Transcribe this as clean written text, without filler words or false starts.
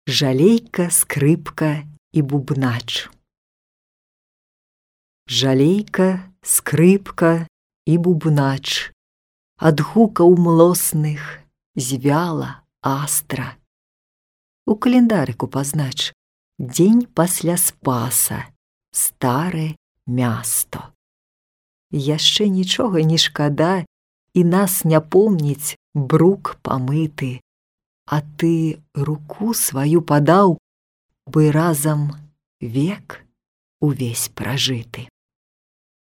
Жалейка, скрыпка і бубнач. Жалейка, скрыпка і бубнач, ад гукаў млосных звяла астра. У календарыку пазнач дзень пасля спаса, старе място. Яшчэ нічога не шкада, і нас не помніць брук памыты, а ты руку сваю падаў, бы разам век увесь пражыты.